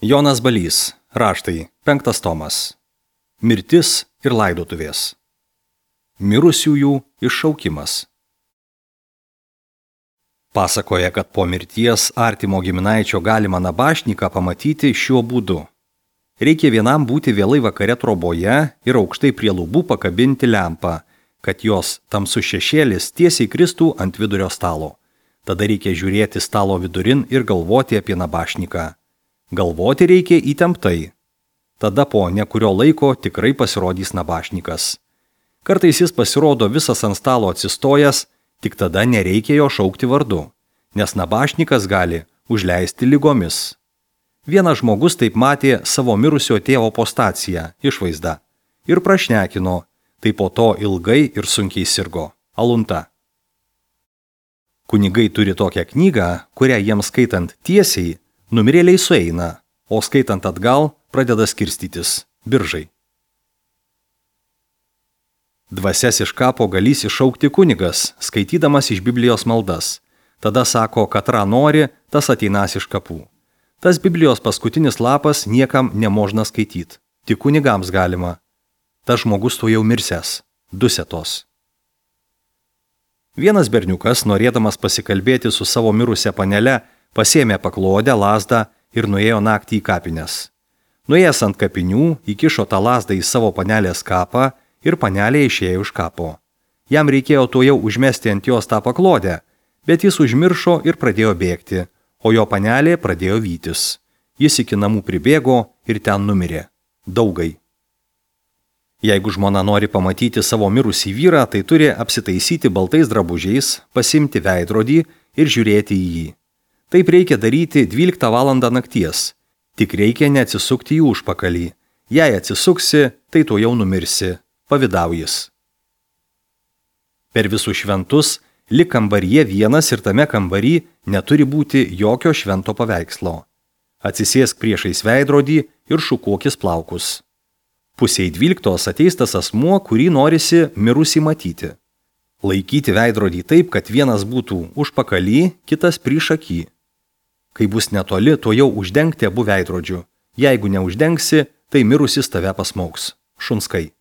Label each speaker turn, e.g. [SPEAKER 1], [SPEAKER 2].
[SPEAKER 1] Jonas Balys, raštai, 5 tomas. Mirtis ir laidotuvės. Mirusiųjų iššaukimas. Pasakoja, kad po mirties artimo giminaičio galima nabašniką pamatyti šiuo būdu. Reikia vienam būti vėlai vakare troboje ir aukštai prie lubų pakabinti lempą, kad jos tamsus šešėlis tiesiai kristų ant vidurio stalo. Tada reikia žiūrėti stalo vidurin ir galvoti apie nabašniką. Galvoti reikia įtemptai. Tada po nekurio laiko tikrai pasirodys nabašnikas. Kartais jis pasirodo visas ant stalo atsistojęs, tik tada nereikia jo šaukti vardu, nes nabašnikas gali užleisti ligomis. Vienas žmogus taip matė savo mirusio tėvo postaciją, išvaizdą, ir prašnekino, tai po to ilgai ir sunkiai sirgo. Alunta. Kunigai turi tokią knygą, kurią jiems skaitant tiesiai, numirėliai sueina, o skaitant atgal pradeda skirstytis biržai. Dvasias iš kapo galys iššaukti kunigas, skaitydamas iš Biblijos maldas. Tada sako, katra nori, tas ateinas iš kapų. Tas Biblijos paskutinis lapas niekam nemožna skaityti, tik kunigams galima. Tas žmogus to jau mirsęs, dusetos. Vienas berniukas, norėdamas pasikalbėti su savo mirusia panele, pasėmė paklodę, lazdą ir nuėjo naktį į kapines. Nuėjęs ant kapinių, įkišo tą lazdą į savo panelės kapą ir panelė išėjo iš kapo. Jam reikėjo tuojau užmesti ant jos tą paklodę, bet jis užmiršo ir pradėjo bėgti, o jo panelė pradėjo vytis. Jis iki namų pribėgo ir ten numirė. Daugai. Jeigu žmona nori pamatyti savo mirusį vyrą, tai turi apsitaisyti baltais drabužiais, pasimti veidrodį ir žiūrėti į jį. Taip reikia daryti 12 valandą nakties. Tik reikia neatsisukti į užpakalį. Jei atsisuksi, tai tu jau numirsi. Pavidaujis. Per visus šventus, lik kambaryje vienas ir tame kambary neturi būti jokio švento paveikslo. Atsisėsk priešais veidrodį ir šukuokis plaukus. Pusei 12 ateis tas asmuo, kurį norisi mirusį matyti. Laikyti veidrodį taip, kad vienas būtų užpakalį, kitas priešaky. Kai bus netoli, to jau uždengti abu veidrodžių. Jeigu neuždengsi, tai mirusis tave pasmauks. Šunskai.